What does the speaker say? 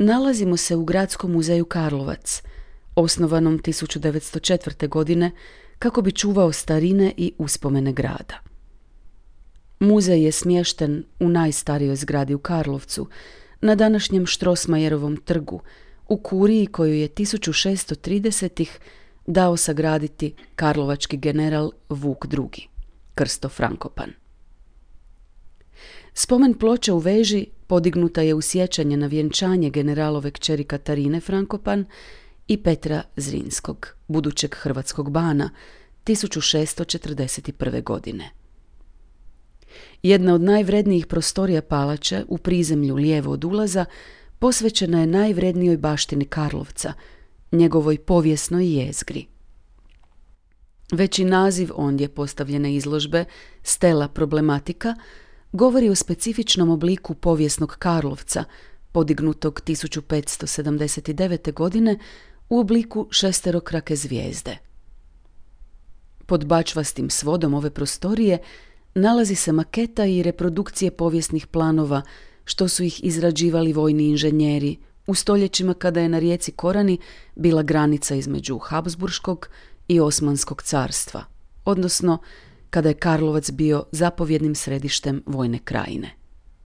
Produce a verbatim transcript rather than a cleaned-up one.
Nalazimo se u Gradskom muzeju Karlovac, osnovanom tisuću devetsto četvrte. godine kako bi čuvao starine i uspomene grada. Muzej je smješten u najstarijoj zgradi u Karlovcu, na današnjem Strossmayerovom trgu, u kuriji koju je tisuću šeststo tridesetih. dao sagraditi karlovački general Vuk drugi, Krsto Frankopan. Spomen ploča u veži podignuta je u sjećanje na vjenčanje generalove kćeri Katarine Frankopan i Petra Zrinskog, budućeg hrvatskog bana, tisuću šeststo četrdeset prve. godine. Jedna od najvrednijih prostorija palače, u prizemlju lijevo od ulaza, posvećena je najvrednijoj baštini Karlovca, njegovoj povijesnoj jezgri. Već i naziv ondje postavljene izložbe, Stela problematika, govori o specifičnom obliku povijesnog Karlovca, podignutog tisuću petsto sedamdeset devete. godine u obliku šesterokrake zvijezde. Pod bačvastim svodom ove prostorije nalazi se maketa i reprodukcije povijesnih planova, što su ih izrađivali vojni inženjeri u stoljećima kada je na rijeci Korani bila granica između Habsburškog i Osmanskog carstva, odnosno kada je Karlovac bio zapovjednim središtem vojne krajine.